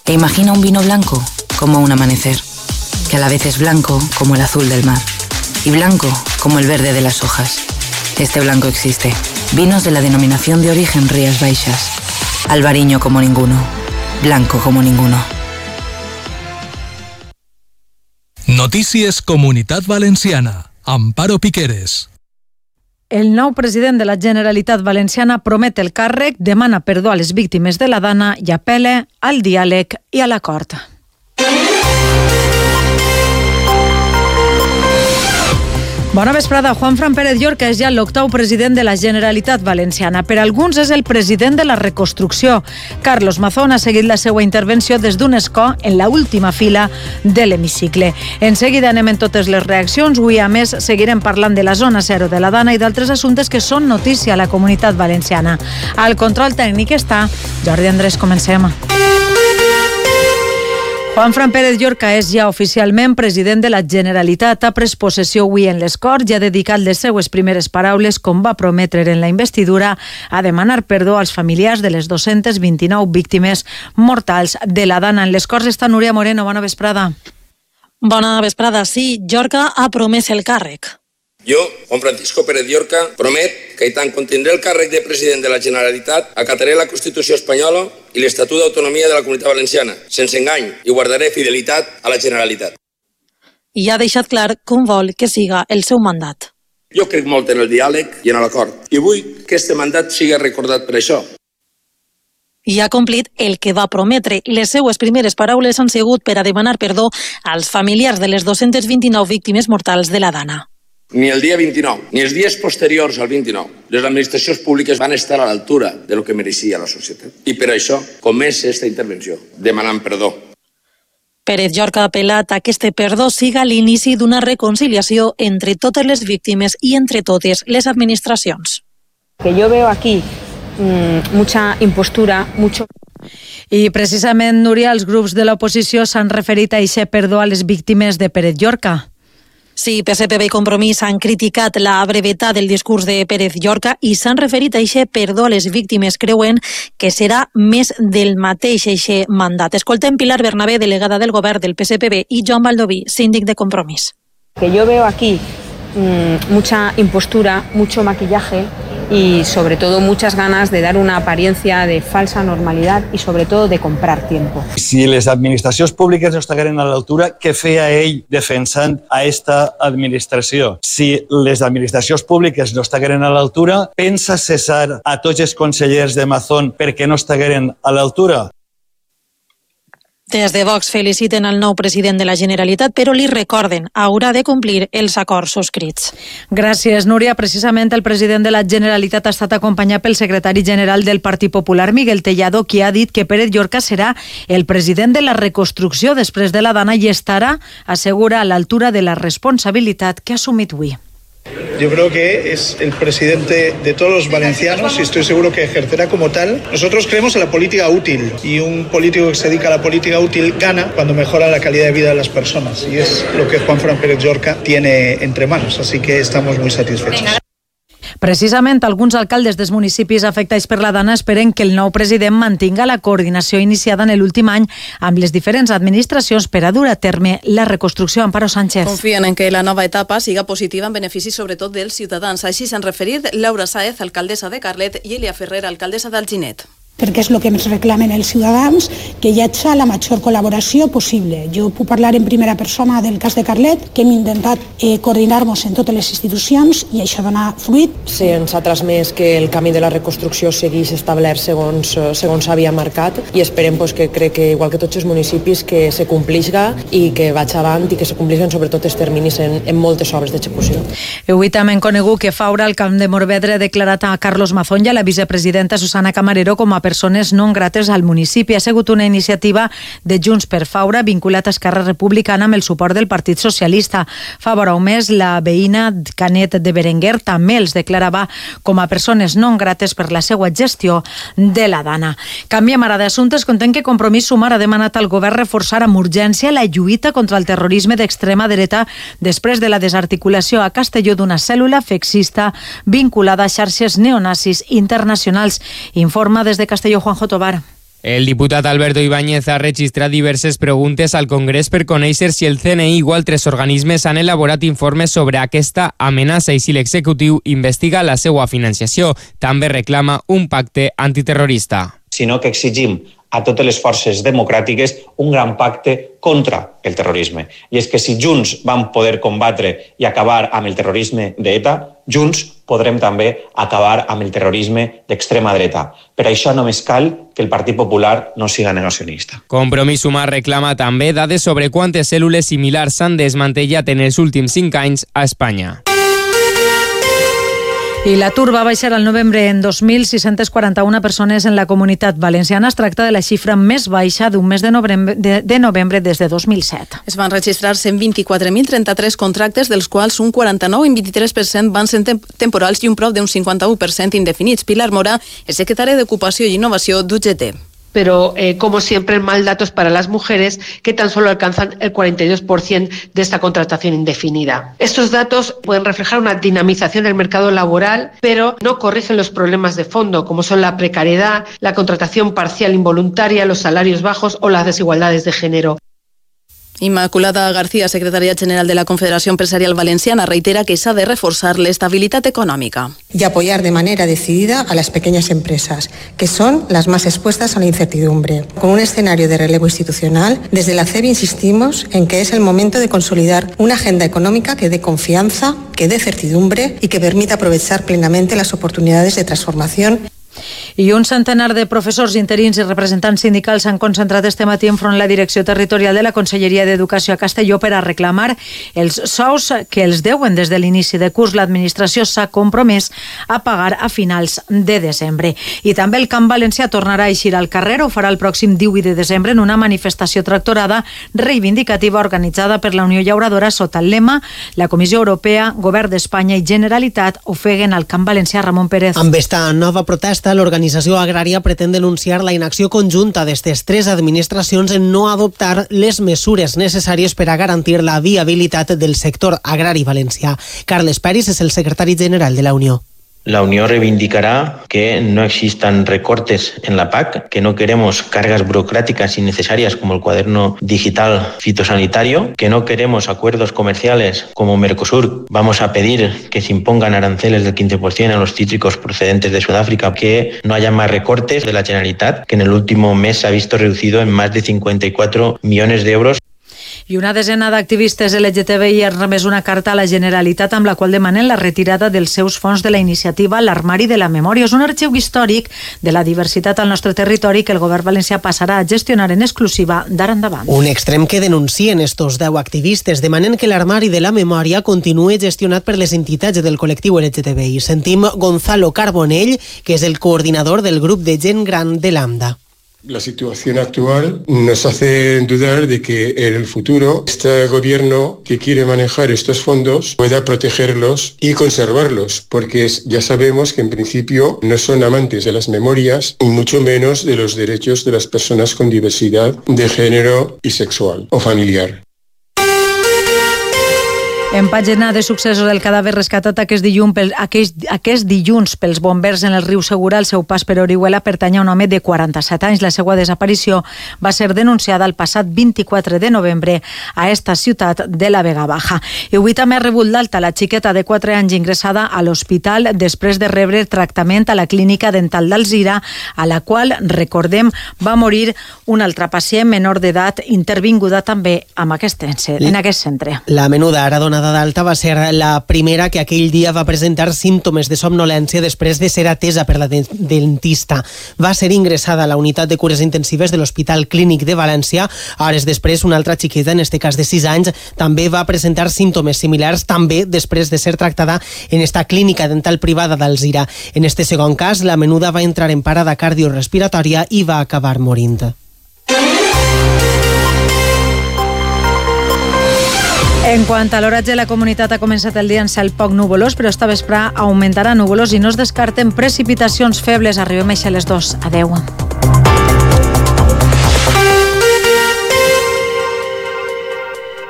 e imagina un vino blanco como un amanecer, que a la vez es blanco como el azul del mar y blanco como el verde de las hojas. Este blanco existe. Vinos de la denominación de origen Rías Baixas. Albariño como ninguno. Blanco como ninguno. Notícies Comunitat Valenciana. Amparo Piqueres. El nou president de la Generalitat Valenciana promet el càrrec, demana perdó a les víctimes de la Dana i apela al diàleg i a l'acord. Bona vesprada. Juanfran Pérez Llorca és ja l'octau president de la Generalitat Valenciana. Per alguns és el president de la reconstrucció. Carlos Mazón ha seguit la seva intervenció des d'un escó en la última fila de l'hemicicle. En seguida anem en totes les reaccions. Avui, a més, seguirem parlant de la zona zero de la Dana i d'altres assumptes que són notícia a la comunitat valenciana. Al control tècnic està Jordi Andrés. Comencem. Juanfran Pérez Llorca és ja oficialment president de la Generalitat. Ha pres possessió avui en les Corts i ha dedicat les seues primeres paraules, com va prometre en la investidura, a demanar perdó als familiars de les 229 víctimes mortals de la Dana. En les Corts està Núria Moreno. Bona vesprada. Bona vesprada. Sí, Llorca ha promès el càrrec. Jo, Juan Francisco Pérez Llorca, promet que i tant contindré el càrrec de president de la Generalitat, acataré la Constitució espanyola i l'Estatut d'Autonomia de la Comunitat Valenciana, sense engany, i guardaré fidelitat a la Generalitat. I ha deixat clar com vol que siga el seu mandat. Jo crec molt en el diàleg i en l'acord, i vull que este mandat sigui recordat per això. I ha complit el que va prometre. Les seues primeres paraules han sigut per a demanar perdó als familiars de les 229 víctimes mortals de la Dana. Ni el dia 29, ni els dies posteriors al 29, les administracions públiques van estar a l'altura de lo que mereixia la societat. I per això comença aquesta intervenció, demanant perdó. Pérez Llorca ha apel·lat a que este perdó siga l'inici d'una reconciliació entre totes les víctimes i entre totes les administracions. Que yo veo aquí mucha impostura, mucho... I precisament, Núria, els grups de l'oposició s'han referit a aquest perdó a les víctimes de Pérez Llorca. Sí, PSPB i Compromís han criticat la brevetat del discurs de Pérez Llorca i s'han referit a aquest perdó a les víctimes. Creuen que serà més del mateix aquest mandat. Escoltem Pilar Bernabé, delegada del govern del PSPB, i Joan Baldoví, síndic de Compromís. Que yo veo aquí mucha impostura, mucho maquillaje y sobre todo muchas ganas de dar una apariencia de falsa normalidad y sobre todo de comprar tiempo. Si les administracions públiques no estigueren a l'altura, què feia ell defensant a esta administració? Si les administracions públiques no estigueren a l'altura, pensa cessar a tots els consellers de Mazón perquè no estigueren a l'altura? Des de Vox feliciten el nou president de la Generalitat, però li recorden, haurà de complir els acords subscrits. Gràcies, Núria. Precisament el president de la Generalitat ha estat acompanyat pel secretari general del Partit Popular, Miguel Tellado, qui ha dit que Pérez Llorca serà el president de la reconstrucció després de la Dana i estarà, assegura, a l'altura de la responsabilitat que ha assumit avui. Yo creo que es el presidente de todos los valencianos y estoy seguro que ejercerá como tal. Nosotros creemos en la política útil y un político que se dedica a la política útil gana cuando mejora la calidad de vida de las personas y es lo que Juanfran Pérez Llorca tiene entre manos, así que estamos muy satisfechos. Precisament, alguns alcaldes dels municipis afectats per la Dana esperen que el nou president mantinga la coordinació iniciada en l'últim any amb les diferents administracions per a dur a terme la reconstrucció. Amparo Sánchez. Confien en que la nova etapa siga positiva en benefici sobretot dels ciutadans. Així s'han referit Laura Sáez, alcaldessa de Carlet, i Elia Ferrer, alcaldessa d'Alginet. Perquè és el que ens reclamen els ciutadans, que hi hagi la major col·laboració possible. Jo puc parlar en primera persona del cas de Carlet, que hem intentat coordinar-nos en totes les institucions i això dona fruit. Sí, ens ha transmès que el camí de la reconstrucció segueix establert segons s'havia marcat i esperem que crec que, igual que tots els municipis, que se complixga i que vaig avant i que se complixen sobretot els terminis en moltes obres d'execució. Avui també hem conegut que Faura, al Camp de Morvedre, ha declarat a Carlos Mazón i a la vicepresidenta Susana Camarero com a persones no grates al municipi. Ha sigut una iniciativa de Junts per Faura vinculat a Esquerra Republicana amb el suport del Partit Socialista. Fa vora un mes, la veïna Canet de Berenguer també els declarava com a persones no grates per la seva gestió de la Dana. Canviem ara d'assumptes. Contem que Compromís Sumar ha demanat al govern reforçar amb urgència la lluita contra el terrorisme d'extrema dreta després de la desarticulació a Castelló d'una cèl·lula feixista vinculada a xarxes neonazis internacionals. Informa des de Castelló Juanjo Tobar. El diputat Alberto Ibáñez ha registrat diverses preguntes al Congrés per conèixer si el CNI o altres organismes han elaborat informes sobre aquesta amenaça i si l'executiu investiga la seva financiació. També reclama un pacte antiterrorista. Sinó que exigim a totes les forces democràtiques un gran pacte contra el terrorisme. I és que si junts vam poder combatre i acabar amb el terrorisme d'ETA, junts podrem també acabar amb el terrorisme d'extrema dreta. Per això només cal que el Partit Popular no siga negacionista. Compromís Sumar reclama també dades sobre quantes cèl·lules similars s'han desmantellat en els últims 5 anys a Espanya. I l'atur va baixar al novembre en 2.641 persones en la Comunitat Valenciana. Es tracta de la xifra més baixa d'un mes de novembre des de 2007. Es van registrar 124.033 contractes, dels quals un 49 i un 23% van ser temporals i un prop d'un 51% indefinits. Pilar Mora és secretària d'Ocupació i Innovació d'UGT. Pero como siempre, mal datos para las mujeres, que tan solo alcanzan el 42% de esta contratación indefinida. Estos datos pueden reflejar una dinamización del mercado laboral, pero no corrigen los problemas de fondo, como son la precariedad, la contratación parcial involuntaria, los salarios bajos o las desigualdades de género. Immaculada García, secretària general de la Confederació Empresarial Valenciana, reitera que s'ha de reforzar l'estabilitat econòmica. Y apoyar de manera decidida a las pequeñas empresas, que son las más expuestas a la incertidumbre. Con un escenario de relevo institucional, desde la CEB insistimos en que es el momento de consolidar una agenda económica que dé confianza, que dé certidumbre y que permita aprovechar plenamente las oportunidades de transformación. I un centenar de professors interins i representants sindicals s'han concentrat este matí enfront la direcció territorial de la Conselleria d'Educació a Castelló per a reclamar els sous que els deuen des de l'inici de curs. L'administració s'ha compromès a pagar a finals de desembre. I també el Camp Valencià tornarà a eixir al carrer, ho farà el pròxim 18 de desembre en una manifestació tractorada reivindicativa organitzada per la Unió Llauradora sota el lema La Comissió Europea, Govern d'Espanya i Generalitat ofeguen al Camp Valencià. Ramon Pérez. Amb esta nova protesta, l'organització agrària pretén denunciar la inacció conjunta d'estes tres administracions en no adoptar les mesures necessàries per a garantir la viabilitat del sector agrari valencià. Carles Peris és el secretari general de la Unió. La Unión reivindicará que no existan recortes en la PAC, que no queremos cargas burocráticas innecesarias como el cuaderno digital fitosanitario, que no queremos acuerdos comerciales como Mercosur. Vamos a pedir que se impongan aranceles del 15% a los cítricos procedentes de Sudáfrica, que no haya más recortes de la Generalitat, que en el último mes se ha visto reducido en más de 54 millones de euros. I una desena d'activistes LGTBI han remès una carta a la Generalitat amb la qual demanen la retirada dels seus fons de la iniciativa L'Armari de la Memòria. És un arxiu històric de la diversitat al nostre territori que el govern valencià passarà a gestionar en exclusiva d'ara endavant. Un extrem que denuncien estos 10 activistes. Demanen que l'Armari de la Memòria continuï gestionat per les entitats del col·lectiu LGTBI. Sentim Gonzalo Carbonell, que és el coordinador del grup de gent gran de l'AMDA. La situación actual nos hace dudar de que en el futuro este gobierno que quiere manejar estos fondos pueda protegerlos y conservarlos, porque ya sabemos que en principio no son amantes de las memorias y mucho menos de los derechos de las personas con diversidad de género y sexual o familiar. En pàgina de successos, el cadàver rescatat aquest dilluns pels bombers en el riu Segura, al seu pas per Orihuela, pertany a un home de 47 anys. La seva desaparició va ser denunciada el passat 24 de novembre a esta ciutat de la Vega Baja. I avui també ha rebut l'alta la xiqueta de 4 anys ingressada a l'hospital després de rebre tractament a la clínica dental d'Alzira, a la qual, recordem, va morir un altre pacient menor d'edat intervinguda també en aquest centre. La menuda ara donada d'alta va ser la primera que aquell dia va presentar símptomes de somnolència després de ser atesa per la dentista. Va ser ingressada a la unitat de cures intensives de l'Hospital Clínic de València. Hores després, una altra xiqueta, en este cas de 6 anys, també va presentar símptomes similars, també després de ser tractada en esta clínica dental privada d'Alzira. En este segon cas, la menuda va entrar en parada cardiorespiratòria i va acabar morint. En quant a l'oratge, la comunitat ha començat el dia en cel poc nuvolós, però esta vesprà augmentarà nuvolós i no es descarten precipitacions febles. Arribem a les 2. Adeu.